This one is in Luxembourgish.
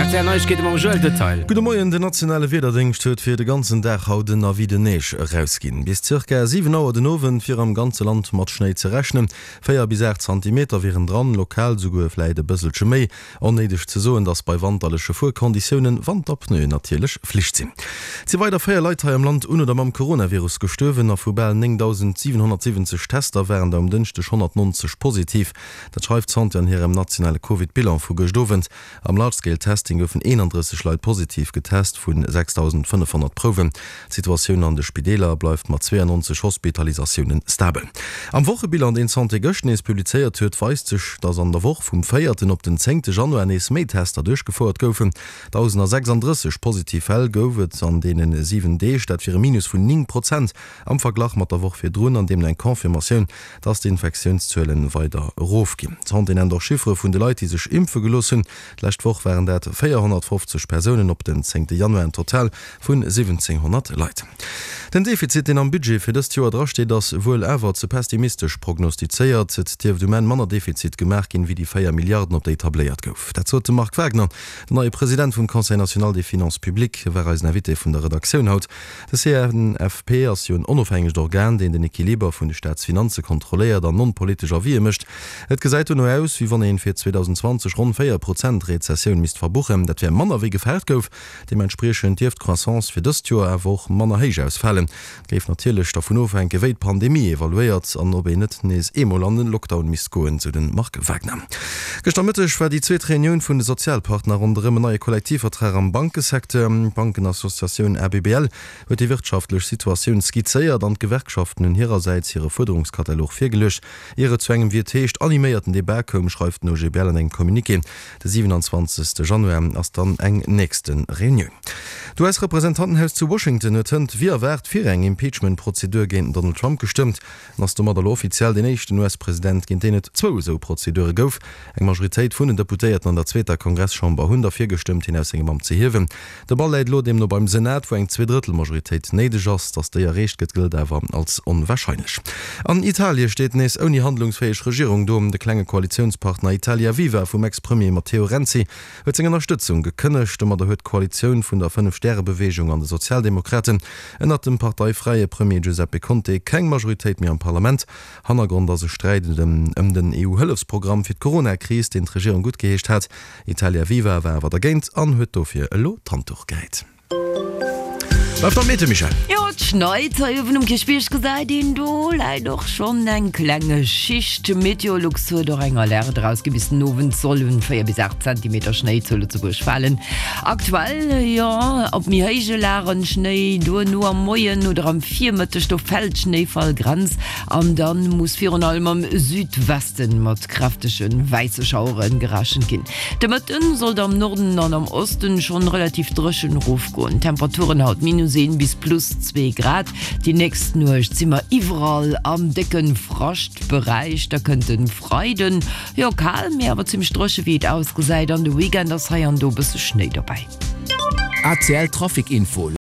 Rtl Neiegkeete mam Joël Detail. Gudde Moien, Den nationale Wiederdéngscht huet fir de ganzen Dag haut en Avis de neige erausginn. Bis zirka 7 Auer den Owend wier am ganze Land mat Schnéi ze rechnen. 4 bis 8 Zantimeter wieren dran, lokal souguer vläit e bësselche méi. Onnéideg ze soen, dass bei wanterleche Fuerkonditiounen Wanterpneuen natierlech Flicht sinn. Et si weider 4 Leit hei am Land un oder mam Coronavirus gestuerwen a vu bal 9.770 Tester waren der um Dënschdeg 190 positiv. Dat schreift d'Santé an hirem nationale Covid-Bilan vu gëscht Owend. Am Large-Scale Testing goufen 31 Leit positiv getest, vu 6.500 Prouwen. D'Situatioun an de Spideeler bleift mat 92 Hospitalisatioune stabel. Am Wochebilan, deen d'Santé gëscht nees publizéiert huet, weist sech, datt an der Woch vum véierten op den zéngte Januar nees méi Tester duerchgefouert goufen. 1.036 positiv Fäll gouf et an deene 7 Deeg, dat wier e Minus vun 9 Prozent am Verglach mat der Woch virdrun an deemno eng Confirmatioun, datt d'Infektiounszuele weider erofginn. D'Santé nennt och Chiffere vun de Leit, déi sech impfe gelooss hunn. D'lescht Woch waren dat 450 Persounen op den zéngte Januar, en Total vun 1.700 Leit. Den Defizit, deen am Budget fir dëst Joer drasteet, ass wuel awer ze pessimistesch prognostizéiert. Et dierft um Enn manner Defizit gemaach ginn, wéi déi 4 Milliarden, op déi tabléiert gouf. Dat sot de Marc Wagner, den neie President vum Conseil national des finances publiques. Hie war eisen Invité vun der Redaktioun haut. De CNFP ass jo en onofhängegt Organ, deen den Equiliber vun de Staatsfinanze kontrolléiert an non-politesch Avisë mécht. Et gesäit dono aus, wéi wann een fir 2020 ronn 4 Prozent Rezessioun misst verbuchen. Dat wär manner wéi gefaart gouf. Deementspriechend dierft d'Croissance fir dëst Joer awer och manner héich ausfalen. Et géif natierlech dervun ofhänken, wéi d'Pandemie evaluéiert an ob een net nees eemol an e Lockdown misst goen, sou de Marc Wagner. Gëschter Mëtteg war déi zweet Reunioun vun de Sozialpartner ronderëm en neie Kollektivvertrag am Bankesecteur. D'Bankenassociatioun ABBL huet déi wirtschaftlech Situatioun skizzéiert an d'Gewerkschaften hunn hirersäits hire Fuerderungskatalog virgeluecht. Ier et zu engem, wéi et heescht, animéierten Debat koum, schreift den OGBL an engem Communiqué. De 27 Januar ass dann eng nächste Reunioun. D'US-Representantenhaus zu Washington huet hënt wéi erwaart fir eng Impeachment-Prozedur géint den Donald Trump gestëmmt an ass domat elo offiziell deen éischten US-President, géint deen et zwou esou Prozedure gouf. Eng Majoritéit vun den Deputéierten an der zweeter Kongresschamber hunn derfir gestëmmt, hien aus sengem Amt ze hiewen. De Ball läit elo deemno beim Senat, wou eng Zweedrëttelmajoritéit néideg ass. Datt déi erreecht gëtt, gëllt awer als onwarscheinlech. An Italie steet nees ouni handlungsfäeg Regierung do. De klenge Koalitiounspartner Italia Viva vum Ex-Premier Matteo Renzi huet seng Ënnerstëtzung gekënnegt. Domadder huet d'Koalitioun vun der Fënnef-Stäre-Beweegung an de Sozialdemokraten ënnert dem parteifräie Premier Giuseppe Conte keng Majoritéit méi am Parlament. Hannergrond ass e Sträit ëm den EU-Hëllefsprogramm fir d'Corona-Kris, deen d'Regierung guttgeheescht hat. Italia Viva war awer dergéint an huet dofir elo d'Handduch gehäit. Bleift am Meete, Michèle. Jo, et schneit hei uewen um Kierchbierg, gesäit een. Do läit och schonn eng kleng Schicht. Meteolux huet och eng Alerte erausgi, bis den Owend sollen 4 bis 8 Zentimeter Schnéi zu Lëtzebuerg falen. Aktuell, jo, op méi héije Lagen Schnéi, duerno am Moien oder am Virmëtteg, do fält d'Schnéifallgrenz an dann muss virun allem am Südwesten mat kräftege wäisse Schauere gerechent ginn. De Mëtten sollt am Norden an am Osten schonn relativ dréchen erofgoen. Temperaturen haut minus 1 bis plus 2 Grad. Déi nächst Nuecht si mer iwwerall am décke Fraschtberäich. Da kënnt de Freiden, jo kal, mee awer zimmlech dréche wéi et ausgesäit an de Weekend ass hei an do e bësse Schnéi dobäi. ACL Trafic Info.